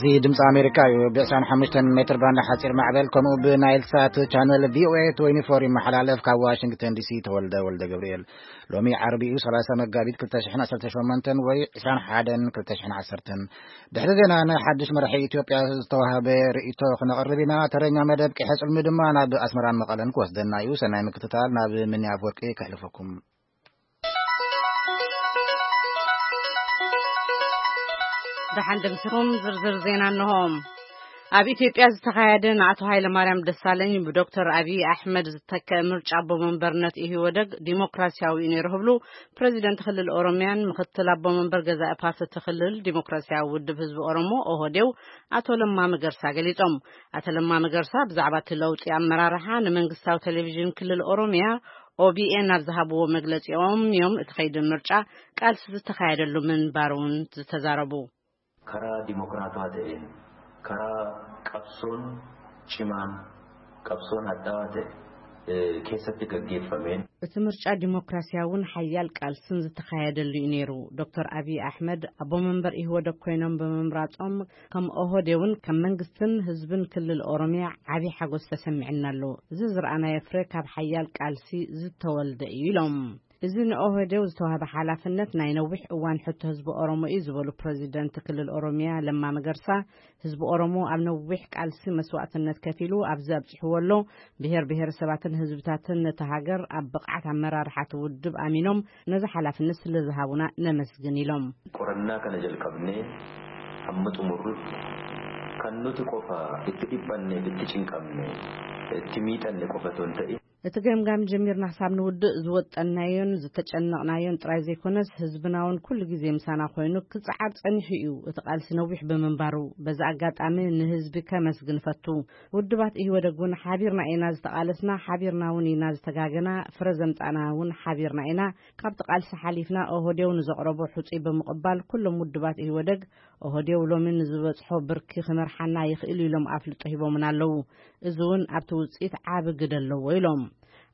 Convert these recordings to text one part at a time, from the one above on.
እዚ ድምፂ ኣሜሪካ እዩ። ብ ዕስራን ሓሙሽተን ሜትር ባንድ ሓፂር ማዕበል፣ ከምኡ ብናይል ሳት ቻነል ቪ ኦ ኤ ትዌንቲ ፎር ይመሓላለፍ። ካብ ዋሽንግተን ዲ ሲ ተወልደ ወልደ ገብርኤል። ሎሚ ዓርቢ እዩ፣ ሰላሳ መጋቢት ክልተ ሽሕን ዓሰርተ ሸሞንተን ወይ ዕስራን ሓደን ክልተ ሽሕን ዓሰርተን። ድሕሪ ዜና ናይ ሓድሽ መራሒ ኢትዮጵያ ዝተዋህበ ርእይቶ ክነቕርብ ኢና። ተረኛ መደብ ቂሐ ጽልሚ ድማ ናብ ኣስመራን መቐለን ክወስደና እዩ። ሰናይ ምክትታል። ናብ ምንያ ኣፈወርቂ ከሕልፈኩም። ደሓን ደምሲኹም። ዝርዝር ዜና እንሆ። ኣብ ኢትዮጵያ ዝተኻየደ ንኣቶ ሃይለማርያም ደሳለኝ ብዶክተር ኣብይ ኣሕመድ ዝተከአ ምርጫ ኣቦ መንበርነት ኢህወደግ ዲሞክራሲያዊ እዩ ነይሩ ክብሉ ፕሬዚደንት ክልል ኦሮሚያን ምክትል ኣቦ መንበር ገዛኢ ፓርቲ እቲ ክልል ዲሞክራሲያዊ ውድብ ህዝቢ ኦሮሞ ኦህዴው ኣቶ ለማ መገርሳ ገሊጾም። ኣቶ ለማ መገርሳ ብዛዕባ እቲ ለውጢ ኣመራርሓ ንመንግስታዊ ቴሌቪዥን ክልል ኦሮሚያ ኦቢኤን ኣብ ዝሃብዎ መግለጺኦም እዮም እቲ ከይዲ ምርጫ ቃልሲ ዝተኻየደሉ ምንባሩ እውን ዝተዛረቡ። Karaa dimokiraatawaa ta'een, karaa qabsoon cimaan, qabsoon hadhaawaa ta'e keessatti gaggeeffameen. እቲ ምርጫ ዲሞክራሲያውን ሓያል ቃልስን ዝተኻየደሉ እዩ ነይሩ። ዶክተር ኣብይ ኣሕመድ ኣቦ መንበር ኢህወደግ ኮይኖም ብምምራጾም ከም ኦህዴውን ከም መንግስትን ህዝብን ክልል ኦሮሚያ ዓቢ ሓጎስ ተሰሚዕና ኣሎ። እዚ ዝረኣናዮ ፍረ ካብ ሓያል ቃልሲ ዝተወልደ እዩ ኢሎም። እዚ ንኦህዴው ዝተዋህበ ሓላፍነት ናይ ነዊሕ እዋን ሕቶ ህዝቢ ኦሮሞ እዩ ዝበሉ ፕረዚደንት ክልል ኦሮሚያ ለማ መገርሳ፣ ህዝቢ ኦሮሞ ኣብ ነዊሕ ቃልሲ መስዋእትነት ከፊሉ ኣብዚ ኣብፂሕዎ ኣሎ። ብሄር ብሄረሰባትን ህዝብታትን ነቲ ሃገር ኣብ ብቕዓት ኣመራርሓ እቲ ውድብ ኣሚኖም ነዚ ሓላፍነት ስለ ዝሃቡና ነመስግን ኢሎም። Qorannaa kana jalqabnee hamma xumurrutti kan nuti qofa itti dhiphanne, itti cinqamne, itti miidhanne qofa otoo hin ta'in, እቲ ገምጋም ጀሚርና ክሳብ ንውድእ ዝወጠናዮን ዝተጨነቕናዮን ጥራይ ዘይኮነስ ህዝብና እውን ኩሉ ግዜ ምሳና ኮይኑ ክጽዓር ጸኒሑ እዩ። እቲ ቃልሲ ነዊሕ ብምንባሩ በዚ ኣጋጣሚ ንህዝቢ ከመስግን እፈቱ። ውድባት ኢህወደግ እውን ሓቢርና ኢና ዝተቓለስና፣ ሓቢርና እውን ኢና ዝተጋገና፣ ፍረ ዘምጻእና እውን ሓቢርና ኢና። ካብቲ ቃልሲ ሓሊፍና ኦህዴው ንዘቕረቦ ሕጹይ ብምቕባል ኩሎም ውድባት ኢህወደግ ኦህዴው ሎሚ ንዝበጽሖ ብርኪ ክመርሓና ይኽእል ኢሎም ኣፍልጦ ሂቦምና ኣለዉ። እዚ እውን ኣብቲ ውጽኢት ዓቢ ግደ ኣለዎ ኢሎም።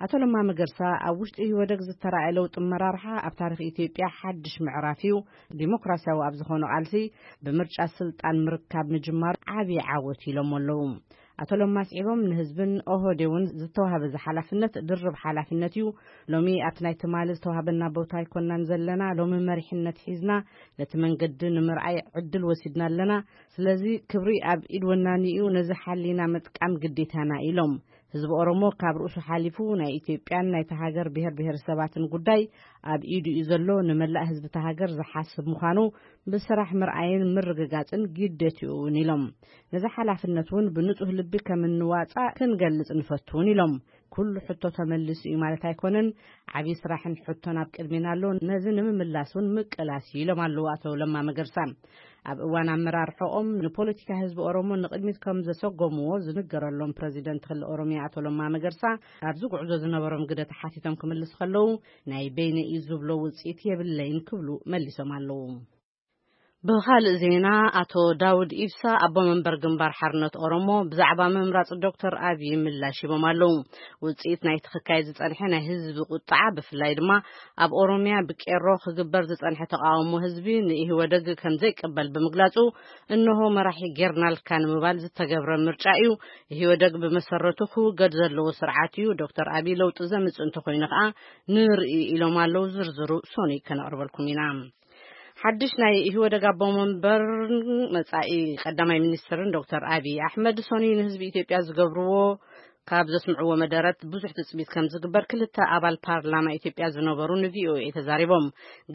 ኣቶ ለማ መገርሳ ኣብ ውሽጢ ኢህወደግ ዝተራእየ ለውጢ ኣመራርሓ ኣብ ታሪኽ ኢትዮጵያ ሓድሽ ምዕራፍ እዩ። ዲሞክራሲያዊ ኣብ ዝኾነ ቃልሲ ብምርጫ ስልጣን ምርካብ ምጅማሩ ዓቢ ዓወት ኢሎም ኣለዉ። ኣቶ ለማ ኣስዒቦም ንህዝብን ኦህዴውን ዝተዋህበ እዚ ሓላፍነት ድርብ ሓላፍነት እዩ። ሎሚ ኣብቲ ናይ ትማሊ ዝተዋህበና ቦታ ኣይኮናን ዘለና። ሎሚ መሪሕነት ሒዝና ነቲ መንገዲ ንምርኣይ ዕድል ወሲድና ኣለና። ስለዚ ክብሪ ኣብ ኢድ ወናኒ እዩ። ነዚ ሓሊና ምጥቃም ግዴታና ኢሎም። ህዝቢ ኦሮሞ ካብ ርእሱ ሓሊፉ ናይ ኢትዮጵያን ናይቲ ሃገር ብሄር ብሄረሰባትን ጉዳይ ኣብ ኢዱ እዩ ዘሎ። ንመላእ ህዝቢ እታ ሃገር ዝሓስብ ምዃኑ ብስራሕ ምርኣይን ምርግጋጽን ግደትኡ እውን ኢሎም። ነዚ ሓላፍነት እውን ብንጹህ ልቢ ከም እንዋጻእ ክንገልጽ ንፈቱ እውን ኢሎም። ኩሉ ሕቶ ተመሊሱ እዩ ማለት ኣይኮነን። ዓብዪ ስራሕን ሕቶን ኣብ ቅድሜና ኣሎ። ነዚ ንምምላስ እውን ምቅላስ እዩ ኢሎም ኣለዉ ኣቶ ለማ መገርሳ። ኣብ እዋን ኣመራርሖኦም ንፖለቲካ ህዝቢ ኦሮሞ ንቕድሚት ከም ዘሰጎምዎ ዝንገረሎም ፕረዚደንት ክልል ኦሮሚያ ኣቶ ለማ መገርሳ ኣብዚ ጉዕዞ ዝነበሮም ግደ ተሓቲቶም ክምልስ ከለዉ ናይ በይነ እዩ ዝብሎ ውፅኢት የብለይን ክብሉ መሊሶም ኣለዉ። ብኻልእ ዜና ኣቶ ዳውድ ኢብሳ ኣቦ መንበር ግንባር ሓርነት ኦሮሞ ብዛዕባ ምምራፅ ዶክተር ኣብይ ምላሽ ሂቦም ኣለዉ። ውፅኢት ናይቲ ክካየድ ዝፀንሐ ናይ ህዝቢ ቁጣዓ ብፍላይ ድማ ኣብ ኦሮሚያ ብቄሮ ክግበር ዝጸንሐ ተቓውሞ ህዝቢ ንኢህወደግ ከም ዘይቅበል ብምግላጹ፣ እንሆ መራሒ ጌርናልካ ንምባል ዝተገብረ ምርጫ እዩ። ኢህወደግ ብመሰረቱ ክውገድ ዘለዎ ስርዓት እዩ። ዶክተር ኣብይ ለውጢ ዘምጽእ እንተኾይኑ ከኣ ንርኢ ኢሎም ኣለዉ። ዝርዝሩ ሶኒ ከነቕርበልኩም ኢና። ሓድሽ ናይ ኢህወደግ ኣቦ መንበር መጻኢ ቀዳማይ ሚኒስትርን ዶክተር ኣብይ ኣሕመድ ሶኒ ንህዝቢ ኢትዮጵያ ዝገብርዎ ካብ ዘስምዕዎ መደረት ብዙሕ ትጽቢት ከም ዝግበር ክልተ ኣባል ፓርላማ ኢትዮጵያ ዝነበሩ ንቪኦኤ ተዛሪቦም።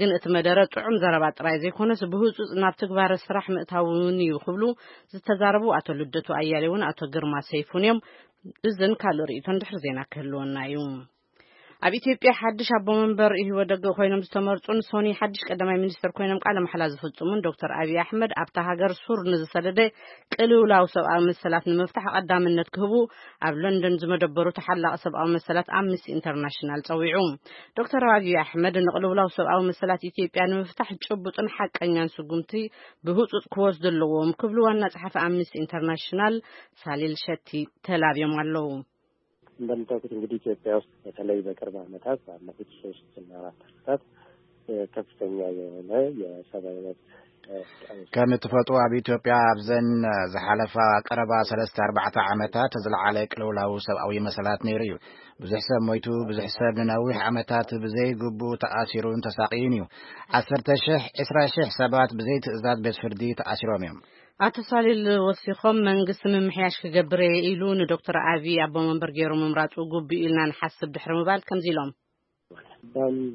ግን እቲ መደረ ጥዑም ዘረባ ጥራይ ዘይኮነስ ብህጹጽ ናብ ትግባረ ስራሕ ምእታው እውን እዩ ክብሉ ዝተዛረቡ ኣቶ ልደቱ ኣያሌውን ኣቶ ግርማ ሰይፉን እዮም። እዝን ካልእ ርእይቶን ድሕሪ ዜና ክህልወና እዩ። ኣብ ኢትዮጵያ ሓድሽ ኣቦ መንበር ኢህወደግ ኮይኖም ዝተመርጹን ሶኒ ሓድሽ ቀዳማይ ሚኒስትር ኮይኖም ቃለ መሓላ ዝፍጽሙን ዶክተር ኣብይ ኣሕመድ ኣብታ ሃገር ሱር ንዝሰደደ ቅልውላው ሰብኣዊ መሰላት ንምፍታሕ ቀዳምነት ክህቡ ኣብ ለንደን ዝመደበሩ ተሓላቒ ሰብኣዊ መሰላት ኣምነስቲ ኢንተርናሽናል ጸዊዑ። ዶክተር ኣብይ ኣሕመድ ንቅልውላው ሰብኣዊ መሰላት ኢትዮጵያ ንምፍታሕ ጭቡጥን ሓቀኛን ስጉምቲ ብህጹጽ ክወስዱ ኣለዎም ክብሉ ዋና ጸሓፊ ኣምነስቲ ኢንተርናሽናል ሳሊል ሸቲ ተላብዮም ኣለዉ። እንደምታውቁት እንግዲህ ኢትዮጵያ ውስጥ በተለይ በቅርብ ዓመታት ባለፉት ሶስት እና አራት ዓመታት ከፍተኛ የሆነ የሰብአዊ መብት ከም እትፈልጡ ኣብ ኢትዮጵያ ኣብዘን ዝሓለፋ ቀረባ ሰለስተ ኣርባዕተ ዓመታት ዝለዓለ ቅልውላው ሰብኣዊ መሰላት ነይሩ እዩ። ብዙሕ ሰብ ሞይቱ፣ ብዙሕ ሰብ ንነዊሕ ዓመታት ብዘይ ግቡእ ተኣሲሩን ተሳቕዩን እዩ። ዓሰርተ ሽሕ፣ ዕስራ ሽሕ ሰባት ብዘይ ትእዛዝ ቤት ፍርዲ ተኣሲሮም እዮም። ኣቶ ሳሊል ወሲኾም መንግስቲ ምምሕያሽ ክገብር እየ ኢሉ ንዶክተር ኣቢ ኣቦ መንበር ገይሩ ምምራጹ ግቡእ ኢልና ንሓስብ ድሕሪ ምባል ከምዚ ኢሎም።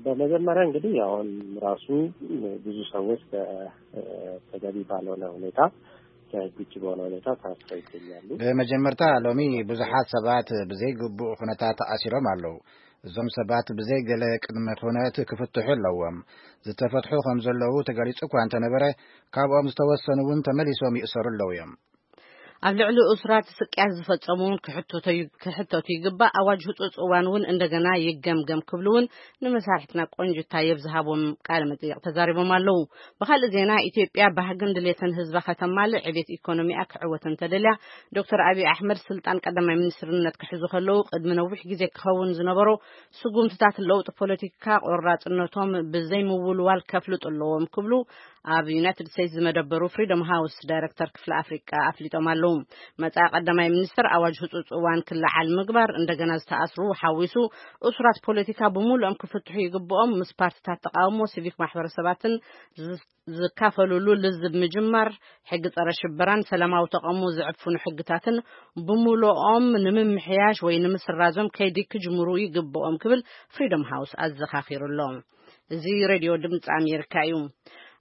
በመጀመሪያ እንግዲህ አሁን ራሱ ብዙ ሰዎች በተገቢ ባልሆነ ሁኔታ፣ ከህግ ውጭ በሆነ ሁኔታ ታስረው ይገኛሉ። ብመጀመርታ ሎሚ ብዙሓት ሰባት ብዘይግቡእ ኩነታት ተኣሲሮም ኣለዉ። እዞም ሰባት ብዘይ ገለ ቅድመ ኩነት ክፍትሑ ኣለዎም። ዝተፈትሑ ከም ዘለዉ ተገሊጹ እኳ እንተነበረ፣ ካብኦም ዝተወሰኑ እውን ተመሊሶም ይእሰሩ ኣለዉ እዮም። ኣብ ልዕሊ እሱራት ስቅያት ዝፈጸሙ እውን ክሕተቱ ይግባእ። ኣዋጅ ህጹጽ እዋን እውን እንደገና ይገምገም ክብሉ እውን ንመሳርሕትና ቆንጅታ የብዝሃቦም ቃለ መጠይቕ ተዛሪቦም ኣለዉ። ብኻልእ ዜና፣ ኢትዮጵያ ባህግን ድሌትን ህዝባ ከተማልእ፣ ዕቤት ኢኮኖሚኣ ክዕወት እንተደልያ፣ ዶክተር ኣብይ ኣሕመድ ስልጣን ቀዳማይ ሚኒስትርነት ክሕዙ ከለዉ ቅድሚ ነዊሕ ግዜ ክኸውን ዝነበሮ ስጉምትታት ለውጢ ፖለቲካ ቆራጽነቶም ብዘይምውልዋል ከፍልጡ ኣለዎም ክብሉ ኣብ ዩናይትድ ስቴትስ ዝመደበሩ ፍሪደም ሃውስ ዳይሬክተር ክፍሊ ኣፍሪቃ ኣፍሊጦም ኣለዉ። መጻኢ ቀዳማይ ሚኒስትር ኣዋጅ ህጹጽ እዋን ክለዓል ምግባር፣ እንደገና ዝተኣስሩ ሓዊሱ እሱራት ፖለቲካ ብምሉኦም ክፍትሑ ይግብኦም፣ ምስ ፓርቲታት ተቃውሞ፣ ሲቪክ ማሕበረሰባትን ዝ-፣ ዝካፈሉሉ ልዝብ ምጅማር፣ ሕጊ ጸረ ሽበራን ሰላማዊ ተቃውሞ ዝዕፍኑ ሕግታትን ብምሉኦም ንምምሕያሽ ወይ ንምስራዞም ከይዲ ክጅምሩ ይግብኦም ክብል ፍሪደም ሃውስ ኣዘኻኺሩ ኣሎ። እዚ ሬድዮ ድምፂ ኣሜሪካ እዩ።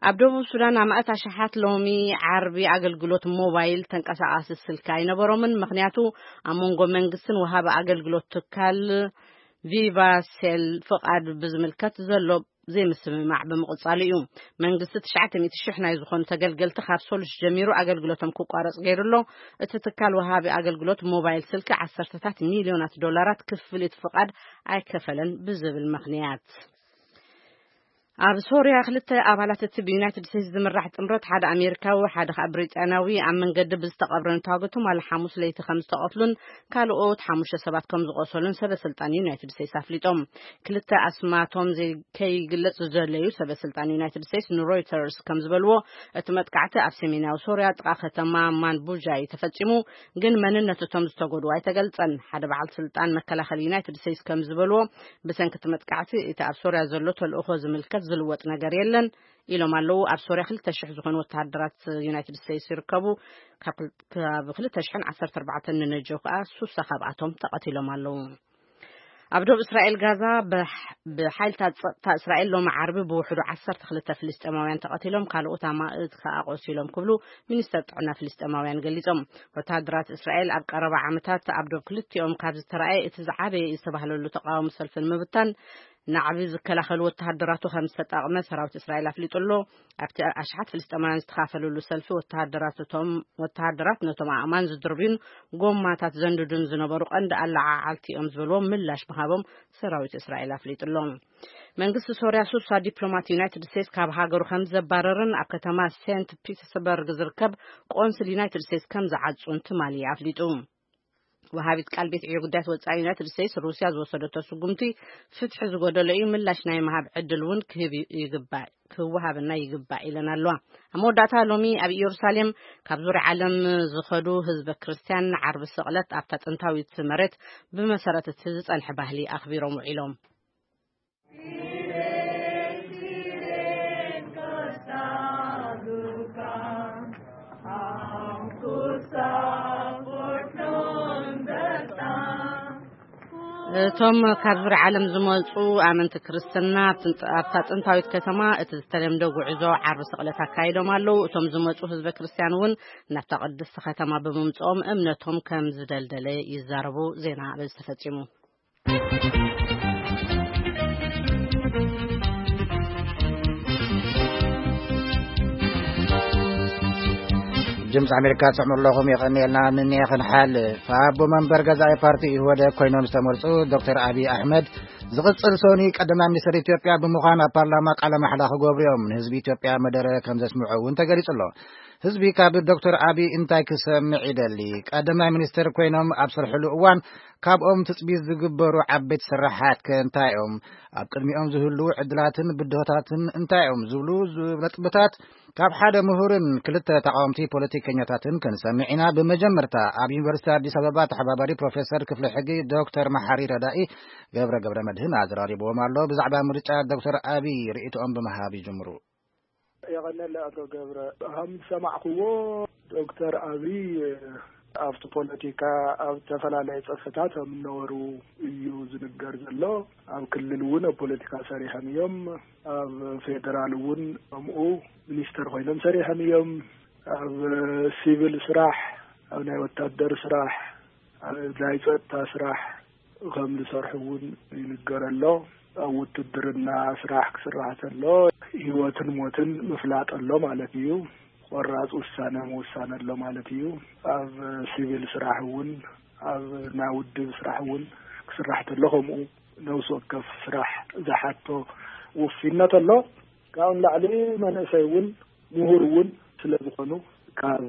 ኣብ ደቡብ ሱዳን ኣማእት ኣሽሓት ሎሚ ዓርቢ ኣገልግሎት ሞባይል ተንቀሳቓሲ ስልኪ ኣይነበሮምን። ምኽንያቱ ኣብ መንጎ መንግስትን ወሃቢ ኣገልግሎት ትካል ቪቫ ሴል ፍቓድ ብዝምልከት ዘሎ ዘይምስምማዕ ብምቕጻሉ እዩ። መንግስቲ ትሽዓተ ሚእቲ ሽሕ ናይ ዝኾኑ ተገልገልቲ ካብ ሶሉስ ጀሚሩ ኣገልግሎቶም ክቋረጽ ገይሩ ኣሎ። እቲ ትካል ወሃቢ ኣገልግሎት ሞባይል ስልኪ ዓሰርተታት ሚልዮናት ዶላራት ክፍሊት ፍቓድ ኣይከፈለን ብዝብል ምኽንያት። ኣብ ሶርያ ክልተ ኣባላት እቲ ብዩናይትድ ስቴትስ ዝምራሕ ጥምረት፣ ሓደ ኣሜሪካዊ ሓደ ከዓ ብሪጣንያዊ፣ ኣብ መንገዲ ብዝተቐብረ ንታጎ ትማሊ ሓሙስ ለይቲ ከም ዝተቐትሉን ካልኦት ሓሙሽተ ሰባት ከም ዝቆሰሉን ሰበ ስልጣን ዩናይትድ ስቴትስ ኣፍሊጦም። ክልተ ኣስማቶም ዘይ-፣ ከይግለጽ ዝደለዩ ሰበ ስልጣን ዩናይትድ ስቴትስ ንሮይተርስ ከም ዝበልዎ፣ እቲ መጥቃዕቲ ኣብ ሰሜናዊ ሶርያ ጥቓ ከተማ ማንቡጃ እዩ ተፈጺሙ፣ ግን መንነት እቶም ዝተጎድኡ ኣይተገልጸን። ሓደ በዓል ስልጣን መከላኸሊ ዩናይትድ ስቴትስ ከም ዝበልዎ፣ ብሰንኪ እቲ መጥቃዕቲ እቲ ኣብ ሶርያ ዘሎ ተልእኾ ዝምልከት ዝልወጥ ነገር የለን ኢሎም ኣለዉ። ኣብ ሶርያ ክልተ ሽሕ ዝኾኑ ወተሃደራት ዩናይትድ ስቴትስ ይርከቡ። ካብ ክል-፣ ካብ ክልተ ሽሕን ዓሰርተ ኣርባዕተን ንነጀው ከኣ ሱሳ ካብኣቶም ተቐቲሎም ኣለዉ። ኣብ ዶብ እስራኤል ጋዛ ብሕ-፣ ብሓይልታት ጸጥታ እስራኤል ሎሚ ዓርቢ ብውሕዱ ዓሰርተ ክልተ ፍልስጤማውያን ተቐቲሎም፣ ካልኦት ኣማእት ከኣ ቆሲሎም ክብሉ ሚኒስተር ጥዕና ፍልስጤማውያን ገሊጾም። ወተሃደራት እስራኤል ኣብ ቀረባ ዓመታት ኣብ ዶብ ክልቲኦም ካብ ዝተራእየ እቲ ዝዓበየ ዝተባህለሉ ተቃውሞ ሰልፊ ንምብታን ናዕቢ ዝከላኸሉ ወተሃደራቱ ከም ዝተጠቕመ ሰራዊት እስራኤል ኣፍሊጡ ኣሎ። ኣብቲ ኣሽሓት ፍልስጤማውያን ዝተኻፈሉሉ ሰልፊ ወተሃደራት እቶም፣ ወተሃደራት ነቶም ኣእማን ዝድርብዩን ጎማታት ዘንድዱን ዝነበሩ ቀንዲ ኣለዓዓልቲ እዮም ዝበልዎም ምላሽ ምሃቦም ሰራዊት እስራኤል ኣፍሊጡ ኣሎ። መንግስቲ ሶርያ ሱሳ ዲፕሎማት ዩናይትድ ስቴትስ ካብ ሃገሩ ከም ዘባረርን ኣብ ከተማ ሴንት ፒተርስበርግ ዝርከብ ቆንስል ዩናይትድ ስቴትስ ከም ዝዓጹን ትማሊ ኣፍሊጡ። ወሃቢት ቃል ቤት ዕዮ ጉዳያት ወጻኢ ዩናይትድ ስቴትስ፣ ሩስያ ዝወሰደቶ ስጉምቲ ፍትሒ ዝጎደሎ እዩ፣ ምላሽ ናይ ምሃብ ዕድል እውን ክህብ ይግባእ፣ ክወሃበና ይግባእ ኢለን ኣለዋ። ኣብ መወዳእታ ሎሚ ኣብ ኢየሩሳሌም ካብ ዙርያ ዓለም ዝኸዱ ህዝበ ክርስትያን ዓርቢ ስቕለት ኣብታ ጥንታዊት መሬት ብመሰረት እቲ ዝጸንሐ ባህሊ ኣኽቢሮም ውዒሎም። እቶም ካብ ዙርያ ዓለም ዝመጹ ኣመንቲ ክርስትና ኣብቲ-፣ ኣብታ ጥንታዊት ከተማ እቲ ዝተለምደ ጉዕዞ ዓርቢ ስቕለት ኣካይዶም ኣለዉ። እቶም ዝመጹ ህዝበ ክርስትያን እውን ናብታ ቅድስቲ ከተማ ብምምጽኦም እምነቶም ከም ዝደልደለ ይዛረቡ። ዜና በዚ ተፈጺሙ። ድምፂ ኣሜሪካ ትሰምዑ ኣለኹም። የቐንየልና። ንንየ ክንሓልፍ፣ ኣቦ መንበር ገዛኢ ፓርቲ ኢህወደግ ኮይኖም ዝተመርፁ ዶክተር ኣብይ ኣሕመድ ዝቕፅል ሰኑይ ቀዳማይ ሚኒስትር ኢትዮጵያ ብምዃን ኣብ ፓርላማ ቃለ ማሕላ ክገብሩ እዮም። ንህዝቢ ኢትዮጵያ መደረ ከም ዘስምዑ እውን ተገሊፁ ኣሎ። ህዝቢ ካብ ዶክተር ኣቢይ እንታይ ክሰምዕ ይደሊ? ቀዳማይ ሚኒስትር ኮይኖም ኣብ ዝሰርሕሉ እዋን ካብኦም ትጽቢት ዝግበሩ ዓበይቲ ስራሓት ከ እንታይ እዮም? ኣብ ቅድሚኦም ዝህልዉ ዕድላትን ብድሆታትን እንታይ እዮም ዝብሉ ነጥብታት ካብ ሓደ ምሁርን ክልተ ተቃወምቲ ፖለቲከኛታትን ክንሰምዕ ኢና። ብመጀመርታ ኣብ ዩኒቨርሲቲ ኣዲስ ኣበባ ተሓባባሪ ፕሮፌሰር ክፍሊ ሕጊ ዶክተር መሓሪ ረዳኢ ገብረ ገብረ መድህን ኣዘራሪብዎም ኣሎ። ብዛዕባ ምርጫ ዶክተር ኣቢይ ርእይቶኦም ብምሃብ ይጅምሩ። የቐነለ ኣቶ ገብረ፣ ከም ዝሰማዕክዎ ዶክተር ኣቢይ ኣብቲ ፖለቲካ ኣብ ዝተፈላለየ ጸፍሕታት ከም እነበሩ እዩ ዝንገር ዘሎ። ኣብ ክልል እውን ኣብ ፖለቲካ ሰሪሖም እዮም። ኣብ ፌደራል እውን ከምኡ ሚኒስተር ኮይኖም ሰሪሖም እዮም። ኣብ ሲቪል ስራሕ፣ ኣብ ናይ ወታደር ስራሕ፣ ኣብ ናይ ጸጥታ ስራሕ ከም ዝሰርሑ እውን ይንገር ኣሎ። ኣብ ውትድርና ስራሕ ክስራሕ ተሎ ህይወትን ሞትን ምፍላጥ ኣሎ ማለት እዩ። ቆራጽ ውሳነ ምውሳን ኣሎ ማለት እዩ። ኣብ ሲቪል ስራሕ እውን፣ ኣብ ናይ ውድብ ስራሕ እውን ክስራሕ ተሎ ከምኡ ነፍሲ ወከፍ ስራሕ ዝሓቶ ውፊነት ኣሎ። ካብኡ ንላዕሊ መንእሰይ እውን ምሁር እውን ስለ ዝኾኑ ካብ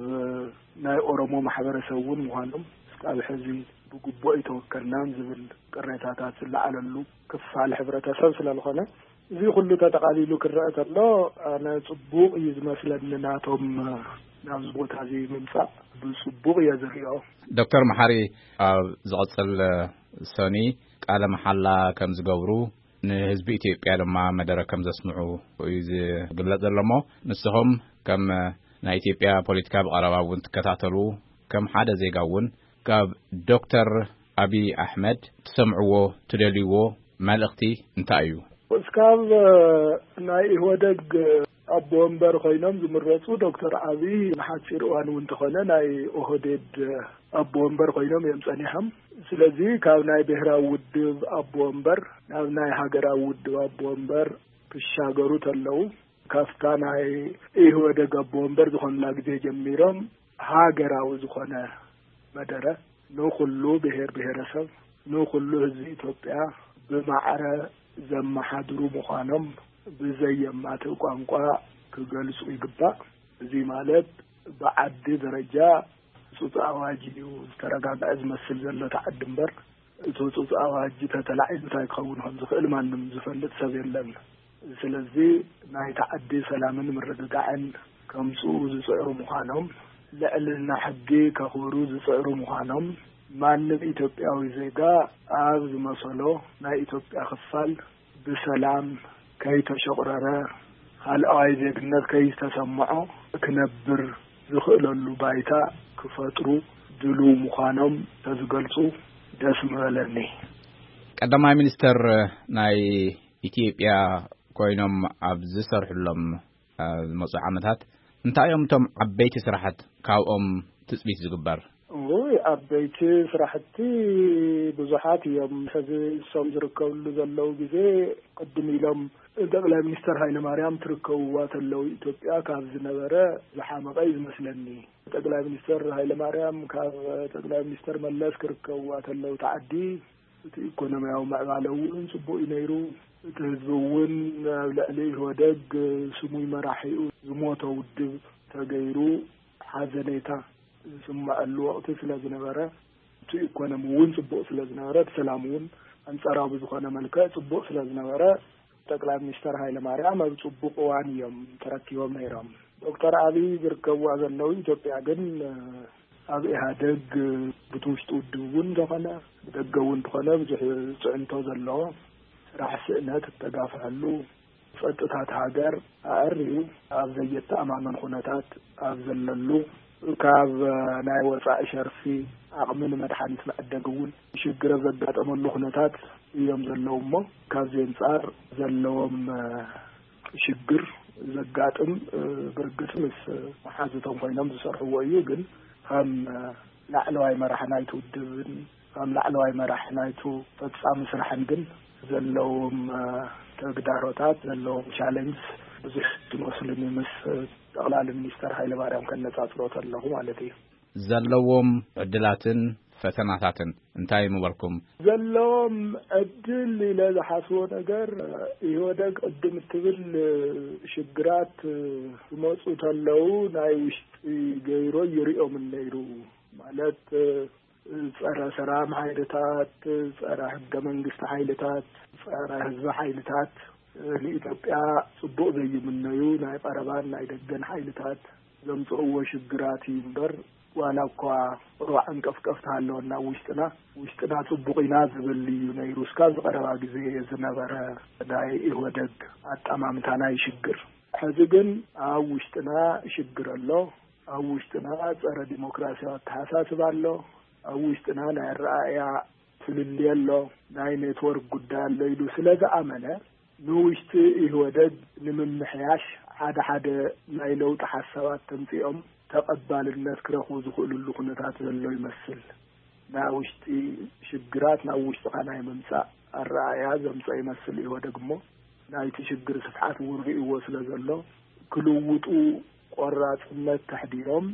ናይ ኦሮሞ ማሕበረሰብ እውን ምዃኖም እስካብ ሕዚ ብግቡእ ኣይተወከልናን ዝብል ቅሬታታት ዝለዓለሉ ክፋል ሕብረተሰብ ስለ ዝኾነ እዚ ኩሉ ተጠቓሊሉ ክረአ ተሎ ኣነ ጽቡቕ እዩ ዝመስለኒ። ናቶም ናብዚ ቦታ እዚ ምምጻእ ብጽቡቕ እየ ዝሪኦ። ዶክተር መሓሪ ኣብ ዝቐጽል ሰኒ ቃለ መሓላ ከም ዝገብሩ ንህዝቢ ኢትዮጵያ ድማ መደረ ከም ዘስምዑ እዩ ዝግለጽ ዘሎ እሞ ንስኹም ከም ናይ ኢትዮጵያ ፖለቲካ ብቐረባ እውን ትከታተሉ ከም ሓደ ዜጋ እውን ካብ ዶክተር ኣቢይ ኣሕመድ ትሰምዕዎ ትደልይዎ መልእኽቲ እንታይ እዩ? እስካብ ናይ ኢህወደግ ኣቦ ወንበር ኮይኖም ዝምረጹ ዶክተር ኣቢይ ንሓጺር እዋን እውን እንተኾነ ናይ ኦህዴድ ኣቦ ወንበር ኮይኖም እዮም ጸኒሖም። ስለዚ ካብ ናይ ብሔራዊ ውድብ ኣቦ ወንበር ናብ ናይ ሃገራዊ ውድብ ኣቦ ወንበር ክሻገሩ ተለው ካብታ ናይ ኢህወደግ ኣቦ ወንበር ዝኾኑላ ግዜ ጀሚሮም ሃገራዊ ዝኾነ መደረ ንኹሉ ብሔር ብሔረሰብ ንኹሉ ህዝቢ ኢትዮጵያ ብማዕረ ዘመሓድሩ ምዃኖም ብዘየማትእ ቋንቋ ክገልጹ ይግባእ። እዚ ማለት ብዓዲ ደረጃ ህጹጽ ኣዋጅ እዩ ዝተረጋግዐ ዝመስል ዘሎ እቲ ዓዲ እምበር እቲ ህጹጽ ኣዋጅ ተተላዒሉ እንታይ ክኸውን ከም ዝኽእል ማንም ዝፈልጥ ሰብ የለን። ስለዚ ናይቲ ዓዲ ሰላምን ምርግጋዕን ከምጽኡ ዝጽዕሩ ምዃኖም፣ ልዕልና ሕጊ ከኽብሩ ዝጽዕሩ ምዃኖም፣ ማንም ኢትዮጵያዊ ዜጋ ኣብ ዝመሰሎ ናይ ኢትዮጵያ ክፋል ብሰላም ከይተሸቑረረ፣ ካልኣዋይ ዜግነት ከይተሰምዖ ክነብር ዝኽእለሉ ባይታ ክፈጥሩ ድሉው ምዃኖም ተዝገልጹ ደስ ምበለኒ። ቀዳማይ ሚኒስተር ናይ ኢትዮጵያ ኮይኖም ኣብ ዝሰርሕሎም፣ እ፣ ዝመጹ ዓመታት እንታይ እዮም እቶም ዓበይቲ ስራሓት ካብኦም ትጽቢት ዝግበር? እይ፣ ዓበይቲ ስራሕቲ ብዙሓት እዮም። ሕዚ እሶም ዝርከብሉ ዘለዉ ግዜ ቅድም ኢሎም ጠቅላይ ሚኒስተር ሃይለማርያም ትርከብዋ ተለዉ ኢትዮጵያ ካብ ዝነበረ ዝሓመቐ እዩ ዝመስለኒ። ጠቅላይ ሚኒስተር ሃይለማርያም ካብ ጠቅላይ ሚኒስተር መለስ ክርከብዋ ተለዉ እቲ ዓዲ እቲ ኢኮኖሚያዊ ምዕባለ እውን ጽቡቕ እዩ ነይሩ። እቲ ህዝቢ እውን ኣብ ልዕሊ ኢህወደግ ስሙይ መራሒኡ ዝሞተ ውድብ ተገይሩ ሓዘኔታ ዝስመዐሉ ወቕቲ ስለ ዝነበረ እቲ ኢኮኖሚ እውን ጽቡቕ ስለ ዝነበረ እቲ ሰላም እውን ኣንጻራዊ ብዝኾነ መልክዕ ጽቡቕ ስለ ዝነበረ ጠቅላይ ሚኒስተር ሃይለማርያም ኣብ ጽቡቕ እዋን እዮም ተረኪቦም ነይሮም። ዶክተር ኣብይ ዝርከብዋ ዘለዉ ኢትዮጵያ ግን ኣብ ኢህኣደግ ብቲ ውሽጢ ውድብ እውን እንተኾነ ብደገ እውን እንተኾነ ብዙሕ ፅዕንቶ ዘለዎ ስራሕ ስእነት እተጋፍሐሉ ጸጥታት ሃገር ኣዕርዩ ኣብ ዘየተኣማመን ኩነታት ኣብ ዘለሉ ካብ ናይ ወፃኢ ሸርፊ ዓቕሚ ንመድሓኒት መዕደግ እውን ሽግር ኣብ ዘጋጠመሉ ኩነታት እዮም ዘለዉ እሞ ካብዚ ኣንጻር ዘለዎም ሽግር ዘጋጥም ብርግጽ ምስ መሓዙቶም ኮይኖም ዝሰርሕዎ እዩ። ግን ከም ላዕለዋይ መራሕ ናይቲ ውድብን ከም ላዕለዋይ መራሕ ናይቱ ፈጻሚ ስራሕን ግን ዘለዎም ተግዳሮታት ዘለዎም ቻለንጅ ብዙሕ ዝመስሉኒ ምስ ጠቕላሊ ሚኒስተር ሃይለ ማርያም ከነጻጽሮ ተለኹ ማለት እዩ። ዘለዎም ዕድላትን ፈተናታትን እንታይ ምበልኩም? ዘለዎም ዕድል ኢለ ዝሓስቦ ነገር፣ ኢህወደግ ቅድም እትብል ሽግራት ክመፁ ተለዉ ናይ ውሽጢ ገይሮ ይሪኦም ነይሩ። ማለት፣ ጸረ ሰላም ሓይልታት፣ ጸረ ሕገ መንግስቲ ሓይልታት፣ ጸረ ህዝቢ ሓይልታት፣ ንኢትዮጵያ ጽቡቕ ዘይምነዩ ናይ ቀረባን ናይ ደገን ሓይልታት ዘምጽእዎ ሽግራት እዩ እምበር፣ ዋላ እኳ ሩባ ዕንቀፍቀፍ ተሃለወና ውሽጥና፣ ውሽጥና ጽቡቕ ኢና ዝብል እዩ ነይሩ። እስካብ ዝቐረባ ግዜ ዝነበረ ናይ ኢህወደግ ኣጠማምታ ናይ ሽግር። ሕዚ ግን ኣብ ውሽጥና ሽግር ኣሎ። ኣብ ውሽጥና ጸረ ዲሞክራሲያዊ ኣተሓሳስባ ኣሎ። ኣብ ውሽጥና ናይ ኣረኣእያ ፍልልይ ኣሎ። ናይ ኔትወርክ ጉዳይ ኣሎ ኢሉ ስለ ዝኣመነ፣ ንውሽጢ ኢህወደግ ንምምሕያሽ ሓደ ሓደ ናይ ለውጢ ሓሳባት ተምጺኦም ተቐባልነት ክረኽቡ ዝኽእሉሉ ኩነታት ዘሎ ይመስል። ናይ ውሽጢ ሽግራት ናብ ውሽጥኻ ናይ ምምጻእ ኣረኣእያ ዘምጸ ይመስል ኢህወደግ እሞ፣ ናይቲ ሽግር ስፍሓት እውን ርእይዎ ስለ ዘሎ፣ ክልውጡ ቆራጽነት ተሕዲሮም፣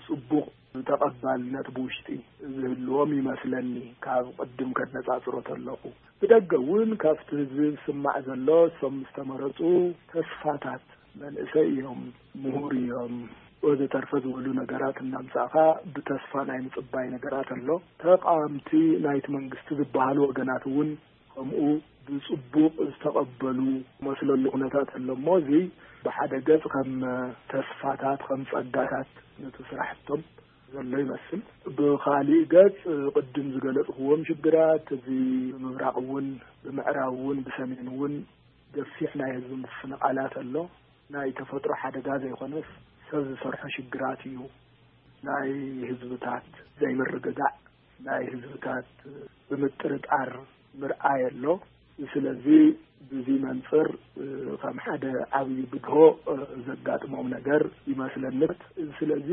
ጽቡቕ ተቐባልነት ብውሽጢ ዝህልዎም ይመስለኒ፣ ካብ ቅድም ከነጻጽሮ ተለኹ። ብደገ እውን ካብቲ ህዝቢ ዝስማዕ ዘሎ፣ እሶም ምስ ተመረጹ ተስፋታት፣ መንእሰይ እዮም፣ ምሁር እዮም፣ ወዘተርፈ ዝበሉ ነገራት እናምጻእኻ ብተስፋ ናይ ምጽባይ ነገራት ኣሎ። ተቃወምቲ ናይቲ መንግስቲ ዝበሃሉ ወገናት እውን ከምኡ ብጽቡቕ ዝተቐበሉ መስለሉ ኩነታት ኣሎ እሞ፣ እዚ ብሓደ ገጽ ከም ተስፋታት፣ ከም ጸጋታት ነቲ ስራሕቶም ዘሎ ይመስል። ብኻሊእ ገጽ፣ ቅድም ዝገለጽክዎም ሽግራት፣ እዚ ብምብራቕ እውን፣ ብምዕራብ እውን፣ ብሰሜን እውን ገፊሕ ናይ ህዝቢ ምፍንቓላት ኣሎ። ናይ ተፈጥሮ ሓደጋ ዘይኮነስ፣ ሰብ ዝሰርሖ ሽግራት እዩ። ናይ ህዝብታት ዘይምርግጋዕ፣ ናይ ህዝብታት ብምጥርጣር ምርኣይ ኣሎ። ስለዚ፣ ብዚ መንጽር፣ እ፣ ከም ሓደ ዓብዪ ብድሆ፣ እ፣ ዘጋጥሞም ነገር ይመስለኒ። ስለዚ፣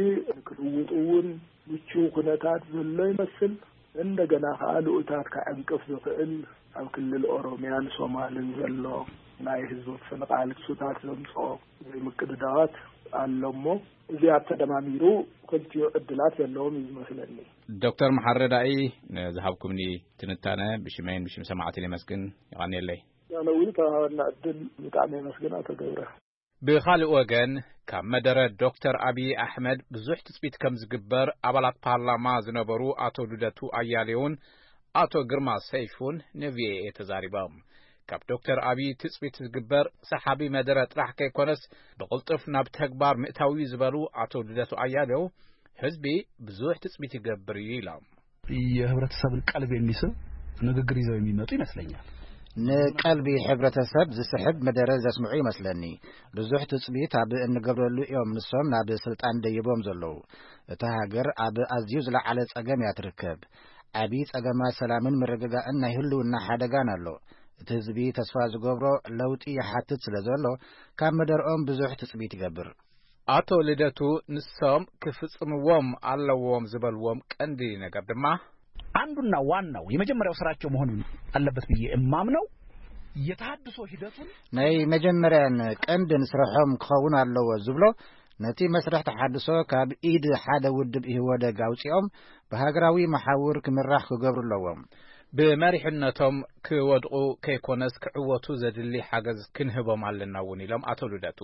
ክልውጡ እውን ምቹው ኩነታት ዘሎ ይመስል። እንደገና ከኣ ልኡታት ከዕንቅፍ ዝኽእል ኣብ ክልል ኦሮምያን ሶማልን ዘሎ ናይ ህዝቢ ምፍንቓል ክሱታት ዘምጽኦ ዘይምቅድዳዋት ኣሎ እሞ፣ እዚኣ ተደማሚሩ ክልቲኡ ዕድላት ዘለዎም እዩ ዝመስለኒ። ዶክተር መሓሪ ረዳኢ፣ ንዝሃብኩምኒ ትንታነ ብሽመይን ብሽም ሰማዕትን የመስግን። የቐንየለይ። ያለዊ ተዋሃበና ዕድል ብጣዕሚ የመስግን ኣቶ ገብረ። ብኻልእ ወገን፣ ካብ መደረ ዶክተር ኣብዪ ኣሕመድ ብዙሕ ትጽቢት ከም ዝግበር ኣባላት ፓርላማ ዝነበሩ ኣቶ ልደቱ ኣያሌውን ኣቶ ግርማ ሰይፉን ን ቪ ኦ ኤ ተዛሪቦም። ካብ ዶክተር ኣብዪ ትጽቢት ዝግበር ሰሓቢ መደረ ጥራሕ ከይኮነስ፣ ብቕልጡፍ ናብ ተግባር ምእታው እዩ ዝበሉ ኣቶ ልደቱ ኣያሌው፣ ህዝቢ ብዙሕ ትጽቢት ይገብር እዩ ኢሎም። የህብረተሰብን ቀልብ የሚስብ ንግግር ይዘው የሚመጡ ይመስለኛል። ንቀልቢ ሕብረተሰብ ዝስሕብ መደረ ዘስምዑ ይመስለኒ። ብዙሕ ትጽቢት ኣብ እንገብረሉ እዮም ንሶም ናብ ስልጣን ደይቦም ዘለዉ። እታ ሃገር ኣብ ኣዝዩ ዝለዓለ ጸገም እያ ትርከብ። ዓቢ ጸገማት ሰላምን ምርግጋእን ናይ ህልውና ሓደጋን ኣሎ። እቲ ህዝቢ ተስፋ ዝገብሮ ለውጢ ይሓትት ስለ ዘሎ፣ ካብ መደርኦም ብዙሕ ትጽቢት ይገብር። ኣቶ ልደቱ፣ ንሶም ክፍጽምዎም ኣለዎም ዝበልዎም ቀንዲ ነገር ድማ፣ አንዱና ዋናው የመጀመሪያው ስራቸው መሆን አለበት ብዬ እማምነው የተሃድሶ ሂደቱን ናይ መጀመርያን ቀንድን ስርሖም ክኸውን ኣለዎ ዝብሎ፣ ነቲ መስርሕ ተሓድሶ ካብ ኢድ ሓደ ውድብ ኢህወደግ ኣውጺኦም ብሃገራዊ መሓውር ክምራሕ ክገብሩ ኣለዎም። ብመሪሕነቶም ክወድቑ ከይኮነስ ክዕወቱ ዘድሊ ሓገዝ ክንህቦም ኣለና እውን ኢሎም ኣቶ ልደቱ።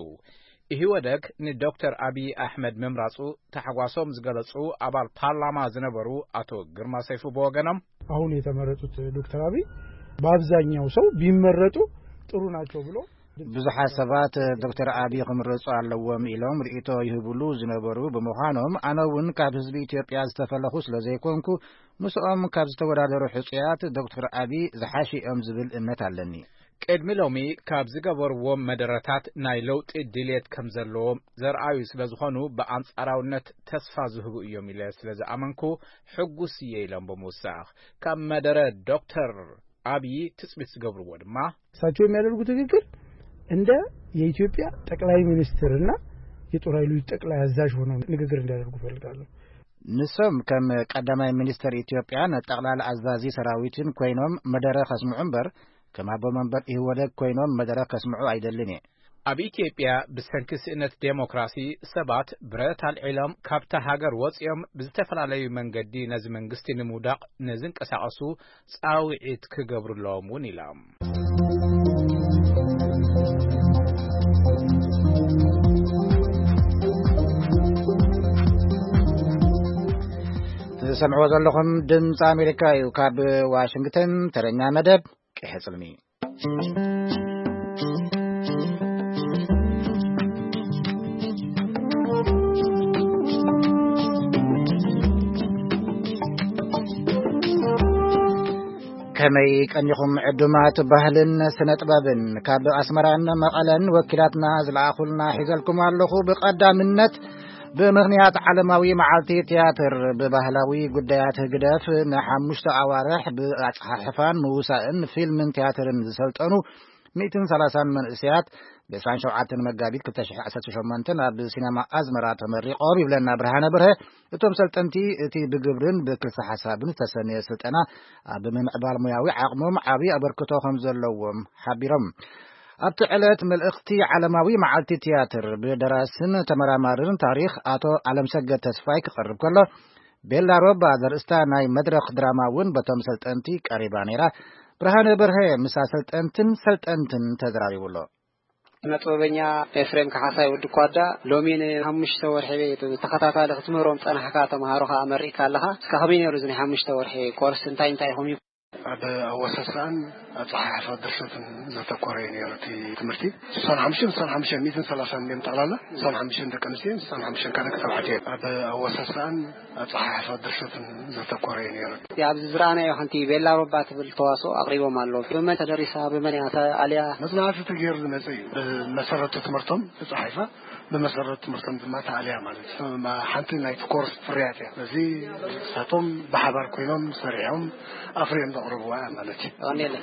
ኢህወደግ ንዶክተር ኣብዪ ኣሕመድ ምምራጹ ታሕጓሶም ዝገለጹ ኣባል ፓርላማ ዝነበሩ ኣቶ ግርማ ሰይፉ ብወገኖም፣ አሁን የተመረጡት ዶክተር አብይ በአብዛኛው ሰው ቢመረጡ ጥሩ ናቸው ብሎ ብዙሓት ሰባት ዶክተር ኣብዪ ክምረጹ ኣለዎም ኢሎም ርእይቶ ይህብሉ ዝነበሩ ብምዃኖም፣ ኣነ እውን ካብ ህዝቢ ኢትዮጵያ ዝተፈለኹ ስለ ዘይኮንኩ፣ ምስኦም ካብ ዝተወዳደሩ ሕጹያት ዶክተር ኣብዪ ዝሓሹ እዮም ዝብል እምነት ኣለኒ። ቅድሚ ሎሚ ካብ ዝገበርዎም መደረታት ናይ ለውጢ ድልየት ከም ዘለዎም ዘርኣዩ ስለ ዝኾኑ፣ ብኣንጻራውነት ተስፋ ዝህቡ እዮም ኢለ ስለ ዝኣመንኩ ሕጉስ እየ ኢሎም ብምውሳኽ፣ ካብ መደረ ዶክተር ኣብዪ ትጽቢት ዝገብርዎ ድማ፣ እሳቸው የሚያደርጉት ንግግር እንደ የኢትዮጵያ ጠቅላይ ሚኒስትርና የጦር ኃይሎች ጠቅላይ አዛዥ ሆነው ንግግር እንዲያደርጉ እፈልጋለሁ። ንሶም ከም ቀዳማይ ሚኒስተር ኢትዮጵያን ጠቕላላ ኣዛዚ ሰራዊትን ኮይኖም መደረ ከስምዑ እምበር፣ ከም ኣቦ መንበር ኢህወደግ ኮይኖም መደረ ከስምዑ ኣይደልን እየ። ኣብ ኢትዮጵያ ብሰንኪ ስእነት ዴሞክራሲ ሰባት ብረት ኣልዒሎም ካብታ ሃገር ወጺኦም ብዝተፈላለዩ መንገዲ ነዚ መንግስቲ ንምውዳቕ ንዝንቀሳቐሱ ጻውዒት ክገብሩ ኣለዎም እውን ኢላ። ትሰምዕዎ ዘለኹም ድምፂ ኣሜሪካ እዩ። ካብ ዋሽንግተን ተረኛ መደብ ቀይሕ ጽልሚ። ከመይ ቀኒኹም ዕዱማት ባህልን ስነ ጥበብን? ካብ ኣስመራን መቐለን ወኪላትና ዝለኣኹልና ሒዘልኩም ኣለኹ። ብቐዳምነት ብምኽንያት ዓለማዊ መዓልቲ ትያትር ብባህላዊ ጉዳያት ህግደፍ ንሓሙሽተ ኣዋርሕ ብኣጸሓሕፋን ምውሳእን ፊልምን ትያትርን ዝሰልጠኑ ሚእትን ሰላሳን መንእሰያት ብ ዕስራን ሸውዓተን መጋቢት ክልተ ሽሕን ዓሰርተ ሸሞንተን ኣብ ሲነማ ኣዝመራ ተመሪቖም ይብለና ብርሃነ በርሀ። እቶም ሰልጠንቲ እቲ ብግብርን ብክልሰ ሓሳብን ዝተሰነየ ስልጠና ኣብ ምምዕባል ሙያዊ ዓቕሞም ዓብዪ ኣበርክቶ ከም ዘለዎም ሓቢሮም። ኣብቲ ዕለት መልእኽቲ ዓለማዊ መዓልቲ ትያትር ብደራስን ተመራማርን ታሪኽ ኣቶ ኣለምሰገድ ተስፋይ ክቐርብ ከሎ፣ ቤላ ሮባ ዘርእስታ ናይ መድረኽ ድራማ እውን በቶም ሰልጠንቲ ቀሪባ ነይራ። ብርሃነ በርሀ ምስ ኣሰልጠንትን ሰልጠንትን ተዘራሪቡ ኣሎ። ስነ ጥበበኛ ኤፍሬም ካሕሳይ ወዲ ኳዳ፣ ሎሚ ንሓሙሽተ ወርሒ ተኸታታሊ ክትምህሮም ጸናሕካ፣ ተምሃሮኻ ኣመሪእካ ኣለኻ። እስካ ከመይ ነይሩ እዚ ናይ ሓሙሽተ ወርሒ ኮርስ? እንታይ እንታይ ኢኹም? ኣብ ኣወሳስኣን ኣጸሓሕፋ ድርሰትን ዘተኮረ እዩ ነይሩ እቲ ትምህርቲ። ስሳን ሓሙሽተን፣ ስሳን ሓሙሽተን፣ ሚእትን ሰላሳን እዮም ጠቕላላ። ስሳን ሓሙሽተን ደቂ ኣንስትዮ፣ ስሳን ሓሙሽተን ካልኦት ተባዕትዮ እዮም። ኣብ ኣወሳስኣን ኣጸሓሕፋ ድርሰትን ዘተኮረ እዩ ነይሩ። እቲ ኣብዚ ዝረኣናዮ ሓንቲ ቤላ ሮባ ትብል ተዋስኦ ኣቕሪቦም ኣለዉ። ብመን ተደሪሳ፣ ብመን እያ ተኣልያ? መጽናዕቲ ተገይሩ ዝመጸ እዩ። ብመሰረቱ ትምህርቶም ተጻሒፋ፣ ብመሰረቱ ትምህርቶም ድማ ተኣልያ ማለት እዩ። ሓንቲ ናይቲ ኮርስ ፍርያት እያ። እዚ ንሳቶም ብሓባር ኮይኖም ሰሪሖም ኣፍርዮም ዘቕርብዋ እያ ማለት እዩ። ቀኒለይ።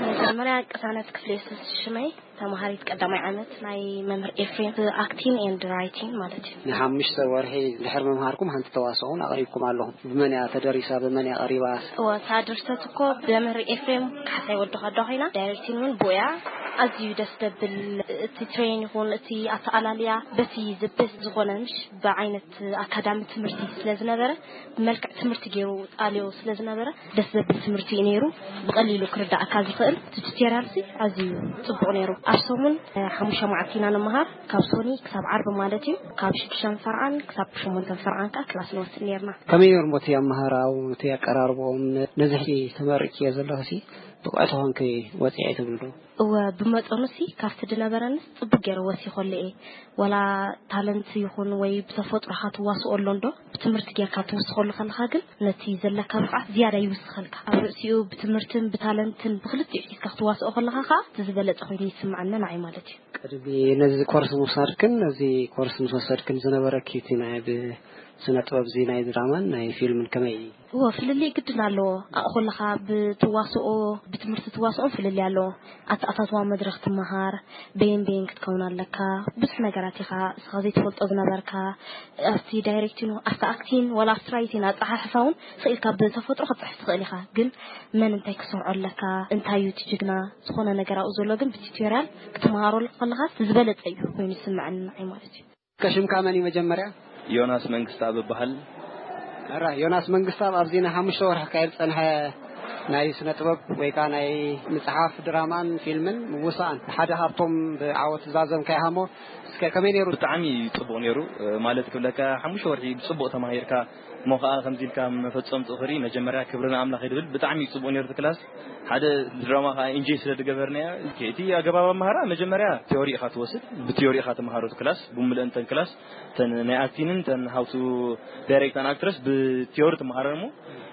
መጀመርያ ቅሳነት ክፍለ የሱስ ሽመይ፣ ተማሃሪት ቀዳማይ ዓመት ናይ መምህር ኤፍሬም፣ ኣክቲንግ ኤንድ ራይቲንግ ማለት እዩ። ንሓሙሽተ ወርሒ ድሕሪ ምምሃርኩም ሓንቲ ተዋስኦ እውን ኣቕሪብኩም ኣለኹም። ብመን እያ ተደሪሳ? ብመን እያ ቀሪባ? እወ፣ እታ ድርሰት እኮ ብመምህር ኤፍሬም ካሕሳይ ወዲ ኳዳ ኮይና፣ ዳይሬክቲንግ እውን ብኡ እያ። ኣዝዩ ደስ ዘብል፣ እቲ ትሬን ይኹን እቲ ኣተኣላልያ በቲ ዝበስ ዝኾነ ምሽ ብዓይነት ኣካዳሚ ትምህርቲ ስለ ዝነበረ፣ ብመልክዕ ትምህርቲ ገይሩ ኣልዮ ስለ ዝነበረ፣ ደስ ዘብል ትምህርቲ እዩ ነይሩ። ብቐሊሉ ክርዳእካ ዝኽእል እቲ ቱቶሪያል ሲ ኣዝዩ ጽቡቕ ነይሩ። ኣብ ሰሙን፣ እ፣ ሓሙሽተ መዓልቲ ኢና ንመሃር፣ ካብ ሶኒ ክሳብ ዓርቢ ማለት እዩ። ካብ ሽዱሽተን ፈርዓን ክሳብ ሸሞንተን ፈርዓን ከኣ ክላስ ንወስድ ነይርና። ከመይ ነይሩ እሞ እቲ ኣመሃራኡ፣ እቲ ኣቀራርብኦም? ነ-፣ ነዚ ሕጂ ተመሪቅዮ ዘለኹ ሲ ብቑዕቲ ኮንኪ ወጺዐ ትብሉ ዶ? እወ፣ ብመጠኑ ሲ ካብቲ ዝነበረንስ ጽቡቅ ገይረ ወሲኸሉ እየ። ዋላ ታለንት ይኹን ወይ ብተፈጥሮኻ ትዋስኦ ኣሎ እንዶ፣ ብትምህርቲ ጌርካ ትውስኸሉ ከለኻ ግን ነቲ ዘለካ ብቕዓት ዝያዳ ይውስኸልካ። ኣብ ርእሲኡ ብትምህርትን ብታለንትን ብኽልቲኡ ሒዝካ ክትዋስኦ ከለኻ ኸኣ እቲ ዝበለጸ ኮይኑ ይስምዓኒ ንዓይ ማለት እዩ። ቅድሚ ነዚ ኮርስ ምውሳድክን ነዚ ኮርስ ምስ ወሰድክን ዝነበረኪ እቲ ናይ ብስነ ጥበብ እዚ ናይ ድራማን ናይ ፊልምን ከመይ እዩ? እወ፣ ፍልልይ ግድን ኣለዎ። ኣብኡ ከለኻ ብትዋስኦ፣ ብትምህርቲ ትዋስኦን ፍልልይ ኣለዎ። ኣተኣታትዋ መድረኽ ትመሃር፣ በየን በየን ክትከውን ኣለካ፣ ብዙሕ ነገራት ኢኻ እስኻ ዘይትፈልጦ ዝነበርካ። ኣብቲ ዳይሬክቲን፣ ኣብቲ ኣክቲን፣ ዋላ ኣብቲ ራይቲን ኣጸሓሕፋ እውን ስቕ ኢልካ ብተፈጥሮ ክትጽሕፍ ትኽእል ኢኻ። ግን መን እንታይ ክሰርዖ ኣለካ፣ እንታይ እዩ እቲ ጅግና፣ ዝኾነ ነገር ኣብኡ ዘሎ ግን ብቲዩቶርያል ክትመሃሮ ከለኻ ዝበለጸ እዩ ኮይኑ ዝስምዐኒ ንዓይ ማለት እዩ። ከሽምካ መን እዩ መጀመርያ? ዮናስ መንግስተኣብ እበሃል። ሕራ፣ ዮናስ መንግስተኣብ ኣብዚ ንሓሙሽተ ወርሒ ክካየድ ዝጸንሐ ናይ ስነ ጥበብ ወይ ከኣ ናይ ምጽሓፍ ድራማን ፊልምን ምውሳእን ሓደ ካብቶም ብዓወት ዝዛዘምካዮ ኢኻ እሞ፣ እስከ ከመይ ነይሩ? ብጣዕሚ ጽቡቕ ነይሩ፣ ማለት ክብለካ፣ ሓሙሽተ ወርሒ ብጽቡቕ ተማሂርካ፣ እሞ ከኣ ከምዚ ኢልካ መፈጸምትኡ ክርኢ መጀመርያ ክብሪ ንኣምላኽ እዩ ድብል። ብጣዕሚ እዩ ጽቡቕ ነይሩ እቲ ክላስ። ሓደ ድራማ ከኣ ኢንጆይ ስለ ዝገበርናዮ፣ እቲ ኣገባብ ኣምሃራ መጀመርያ ቲዮሪ ኢኻ ትወስድ፣ ብቲዮሪ ኢኻ ትመሃሮ እቲ ክላስ፣ ብምልእን እተን ክላስ፣ እተን ናይ ኣክቲንን እተን how to direct an actress ብቲዮሪ ትመሃረን እሞ፣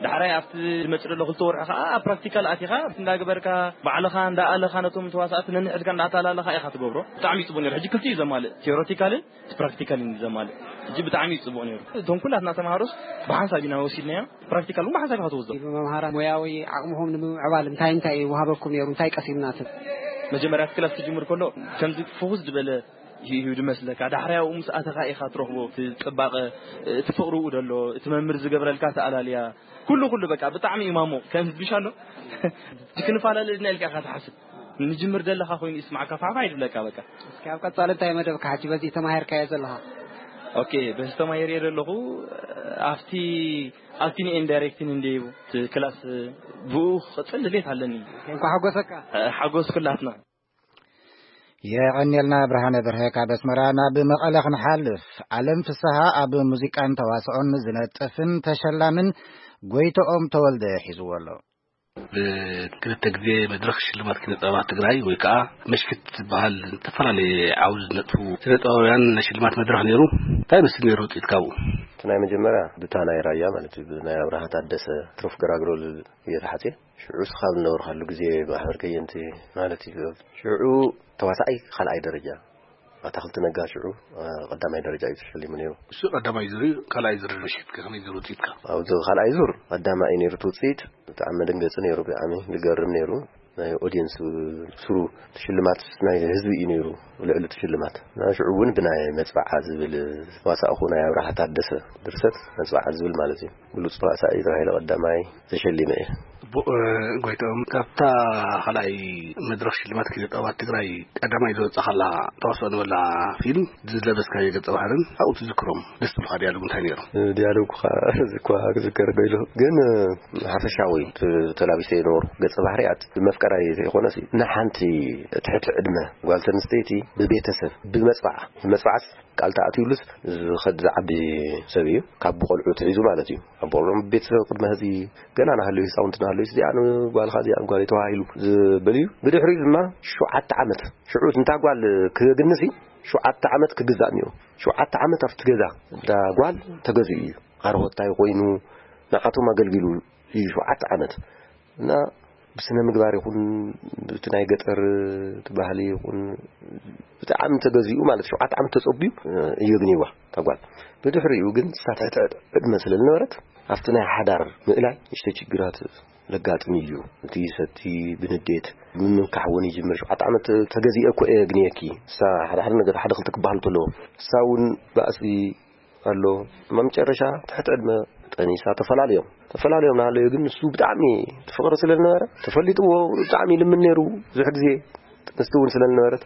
ዳሕራይ ኣብቲ ዝመጽእ ዘሎ ክልተ ወርሒ ከኣ ኣብ ፕራክቲካል ኣቲኻ እንዳገበርካ፣ ባዕልኻ እንዳኣለኻ ነቶም ተዋሳእቲ ነንሕድካ እንዳኣተላለኻ ኢኻ ትገብሮ። ብጣዕሚ እዩ ጽቡቕ ነይሩ። ሕጂ ክልቲኡ እዩ ዘማልእ፣ ቲዮሬቲካልን ፕራክቲካልን እዩ ዘማልእ። ሕጂ ብጣዕሚ እዩ ጽቡቕ ነይሩ። እቶም ኩላትና ተምሃሮስ ብሓንሳብ ኢና ወሲድናዮ። ፕራክቲካል እውን ብሓንሳብ ኢኻ ትወስዶ። መምሃራን ሞያዊ ዓቕምኹም ንምምዕባል እንታይ እንታይ ወሃበኩም ነይሩ? እንታይ ቀሲምና ትብል? መጀመርያ እቲ ክላስ ክጅምር ከሎ ከምዚ ፍኹስ ዝበለ እዩ ዝመስለካ። ዳሕራይ ኣብኡ ምስ ኣተኻ ኢኻ ትረኽቦ እቲ ጽባቐ፣ እቲ ፍቕሪ፣ ኡ ደሎ እቲ መምህር ዝገብረልካ ተኣላልያ፣ ኩሉ ኩሉ በቃ ብጣዕሚ እዩ ማሞ። ከም ህዝብሻ ኣሎ ክንፈላለ ድና ኢልካ ኢኻ ትሓስብ። ንጅምር ደለኻ ኮይኑ ይስማዕካ፣ ፋዕፋዕ ይብለካ በቃ። እስኪ ኣብ ቀጻሊ እንታይ መደብካ ሕጂ በዚ ተማሂርካዮ ዘለኻ? ኦኬ፣ በዚ ተማሂርዮ ዘለኹ ኣብቲ ኣብቲ ንኤን ዳይሬክቲን እንደ ክላስ ብኡ ክቕጽል ድሌት ኣለኒ። እንኳ ሓጎሰካ። ሓጎስ ኩላትና። የቐንየልና ብርሃነ በርሀ ካብ ኣስመራ። ናብ መቐለ ክንሓልፍ፣ ኣለም ፍስሃ ኣብ ሙዚቃን ተዋስኦን ዝነጥፍን ተሸላምን ጎይቶኦም ተወልደ ሒዝዎ ኣሎ። ብክልተ ግዜ መድረኽ ሽልማት ኪነ ጥበባት ትግራይ ወይ ከዓ መሽክት ዝበሃል ዝተፈላለየ ዓውዲ ዝነጥፉ ስነ ጥበባውያን ናይ ሽልማት መድረኽ ነይሩ። እንታይ መስል ነይሩ ውፅኢት ካብኡ? እቲ ናይ መጀመርያ ብታ ናይ ራያ ማለት እዩ፣ ብናይ ኣብርሃ ታደሰ ትሩፍ ገራግሮ ዝብል እየ ተሓፅየ። ሽዑ እስኻ ዝነበርካሉ ግዜ ማሕበር ከየንቲ ማለት እዩ። ሽዑ ተዋሳኣይ ካልኣይ ደረጃ፣ ኣታኽልቲ ነጋ ሽዑ ቀዳማይ ደረጃ እዩ ተሸሊሙ ነይሩ። እሱ ቀዳማይ ዙር እዩ። ካልኣይ ዙር ምሽት ከመይ ዙር ውፅኢትካ? ኣብዚ ካልኣይ ዙር ቀዳማይ እዩ ነይሩ እቲ ውፅኢት። ብጣዕሚ መደንገፂ ነይሩ፣ ብጣዕሚ ዝገርም ነይሩ። ናይ ኦዲየንስ ስሩ ሽልማት ናይ ህዝቢ እዩ ነይሩ። ልዕሊ እቲ ሽልማት እና ሽዑ እውን ብናይ መፅባዓ ዝብል ዋሳእኹ ናይ ኣብርሃ ታደሰ ድርሰት መፅባዓ ዝብል ማለት እዩ። ብሉፅ ተዋሳኢ ተባሂለ ቀዳማይ ተሸሊመ እየ። ጽቡቕ። ጎይቶም፣ ካብታ ካልኣይ መድረኽ ሽልማት ኪነ ጥበባት ትግራይ ቀዳማይ ዝወጻኻላ ተዋስኦ ንበላ ፊልም ዝለበስካዮ ገጸ ባህርን ኣብኡ ትዝክሮም ደስ ዝብሉኻ ዲያሎግ እንታይ ነይሩ? ዲያሎግ እኳ እዚ እኳ ክዝከር ገይሉ፣ ግን ሓፈሻዊ ተላቢሰ የነበሩ ገጸ ባህርያት ብመፍቀራይ ዘይኮነስ ንሓንቲ ትሕቲ ዕድመ ጓል ኣንስተይቲ ብቤተሰብ ብመጽባዓ ብመጽባዓስ ቃል ተኣትዩሉስ ዝኸድ ዝዓቢ ሰብ እዩ። ካብ ቆልዑ ትሒዙ ማለት እዩ። ኣብ ቆልዑ ቤተሰብ ቅድመ ሕዚ ገና ናሃለዩ ህፃውንቲ ናሃለዩ እዚኣ ንጓልኻ እዚኣ ንጓል ተባሂሉ ዝበል እዩ። ብድሕሪኡ ድማ ሸውዓተ ዓመት ሽዑ እንታ ጓል ክግንሲ ሸውዓተ ዓመት ክግዛእ እኒኦ። ሸውዓተ ዓመት ኣብቲ ገዛ እንዳ ጓል ተገዚኡ እዩ። ኣርሆታይ ኮይኑ ንዓቶም ኣገልጊሉ እዩ ሸውዓተ ዓመት እና ብስነ ምግባር ይኹን ብቲ ናይ ገጠር እቲ ባህሊ ይኹን ብጣዕሚ ተገዚኡ ማለት ሸውዓተ ዓመት ተጸቢዩ እዩ ግኒዋ ተጓል። ብድሕሪኡ ግን ሳትሕት ዕድመ ስለ ዝነበረት ኣብቲ ናይ ሓዳር ምእላይ ንእሽተይ ችግራት ለጋጥም እዩ። እቲ ሰቲ ብንዴት ምምካሕ እውን ይጅምር። ሸውዓተ ዓመት ተገዚአ እኮ እየ ግንየኪ። እሳ ሓደ ሓደ ነገር ሓደ ክልተ ክበሃል ከለዎ እሳ እውን ባእሲ ኣሎ። መጨረሻ ትሕቲ ዕድመ ጠኒሳ ተፈላለዮም። ተፈላለዮም ናሃለዩ ግን ንሱ ብጣዕሚ ፍቕሪ ስለ ዝነበረ ተፈሊጥዎ ብጣዕሚ ይልምን ነይሩ። ብዙሕ ግዜ ጥንስቲ እውን ስለ ዝነበረት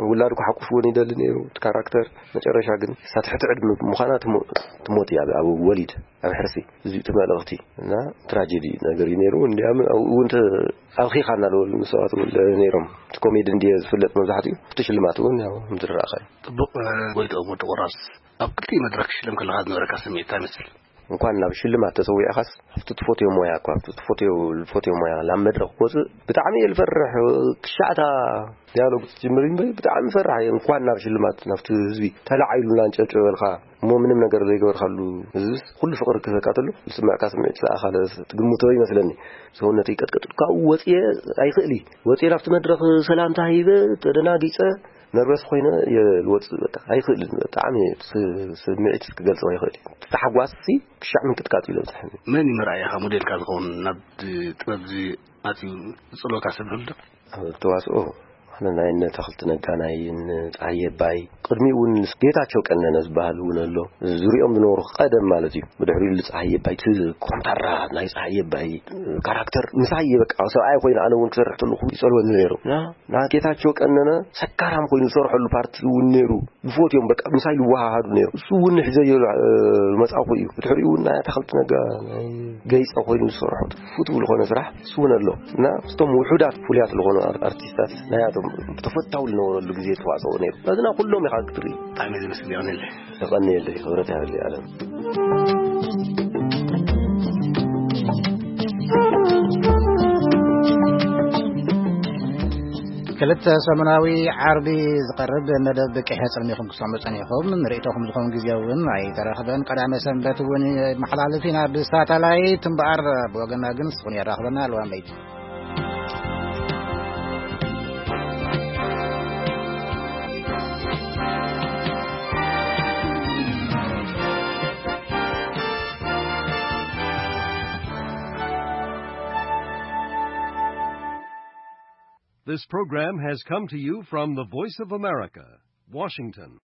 ውላድ ክሓቁፍ እውን ይደሊ ነይሩ እቲ ካራክተር። መጨረሻ ግን እሳ ትሕቲ ዕድመ ምዃና ትሞ- ትሞት እያ ኣብ ወሊድ ኣብ ሕርሲ። እዚ እቲ መልእኽቲ እና ትራጀዲ ነገር እዩ ነይሩ። እንዲያም ኣብኡ እውን ተ- ኣብኺኻ እናበሉ ሰባት እውን ነይሮም። እቲ ኮሜዲ እንድየ ዝፍለጥ መብዛሕትኡ እቲ ሽልማት እውን ያው ምድራኻ እዩ። ጽቡቕ። ጎይትኦም ወዲ ቁራስ፣ ኣብ ክልቲኡ መድረኽ ክትሽለም ከለኻ ዝነበረካ ስምዒት እንታይ ይመስል? እንኳን ናብ ሽልማት ተሰዊዕኻስ ኣብቲ ትፈትዮ ሞያ እኳ ኣብቲ ትፈትዮ ዝፈትዮ ሞያ ናብ መድረኽ ክወፅእ ብጣዕሚ እየ ዝፈርሕ። ክሻዕታ ዲያሎግ ትጅምር እምበይ ብጣዕሚ ፈራሕ እየ። እንኳን ናብ ሽልማት ናብቲ ህዝቢ ተላዒሉ እናንጨብጨበልካ እሞ ምንም ነገር ዘይገበርካሉ ህዝብስ ኩሉ ፍቕሪ ክህበካ ተሎ ዝስምዕካ ስምዒት ዝሰኣኻለ ትግምቶ ይመስለኒ። ሰውነተይ ቀጥቀጥ ካብኡ ወፅየ ኣይኽእል እዩ። ወፅየ ናብቲ መድረኽ ሰላምታ ሂበ ተደናጊፀ ነርቨስ ኮይነ እየ ዝወፅእ። በቃ ኣይኽእልን። ብጣዕሚ ስ- ስምዒት ክገልፆ ኣይኽእል እዩ። እቲ ታሕጓስ ሲ ክሻዕ ምንቅጥቃጥ እዩ ዘብፅሐኒ። መን እዩ መርኣያኻ ሞዴልካ ዝኸውን ናብ ጥበብ እዚ ኣትዩ ዝፅሎካ ሰብ ኣሎ ዶ? ኣብ ተዋስኦ ኣነ ናይ እነ ተኽልቲ ነጋ ናይ እነ ፀሃየ ባይ ቅድሚኡ እውን ጌታቸው ቀነነ ዝበሃል እውን ኣሎ። ዝሪኦም ዝነበሩ ቀደም ማለት እዩ። ብድሕሪኡ ፀሃየ ባይ እቲ ኮንታራ ናይ ፀሃየ ባይ ካራክተር ምሳይ በቃ ሰብኣይ ኮይኑ ኣነ እውን ክሰርሕ ተለኹ ይፀልወኒ ነይሩ። ና ጌታቸው ቀነነ ሰካራም ኮይኑ ዝሰርሐሉ ፓርቲ እውን ነይሩ። ዝፈትዮም በቃ ምሳይ ዝወሃሃዱ ነይሩ። እሱ እውን ሒዘዮ መፃኹ እዩ። ብድሕሪኡ እውን ናይ ኣታኽልቲ ነጋ ናይ ገይፀ ኮይኑ ዝሰርሖ ፍትው ዝኾነ ስራሕ እሱ እውን ኣሎ እና ምስቶም ውሑዳት ፍሉያት ዝኾኑ ኣርቲስታት ናያቶም ተፈታዊ ዝነበረሉ ግዜ ተዋፅኦ ነይሩ። በዝና ኩሎም ኢኻ ክትርኢ። ብጣዕሚ ዝመስል ይቐንየለይ። የቐንየለይ። ክብረት ያህል ኣለም። ክልተ ሰሙናዊ ዓርቢ ዝቐርብ መደብ ብቂሐ ጽልሚኹም ክሰምዑ ጸኒኹም። ንርእይቶኹም ዝኾን ግዜ እውን ኣይተረኽበን። ቀዳመ ሰንበት እውን መሓላልፍ ኢና ብሳተላይት እምበኣር ብወገና ግን ስኹን የራኽበና። ኣልዋን ለይቲ። This program has come to you from the Voice of America, Washington.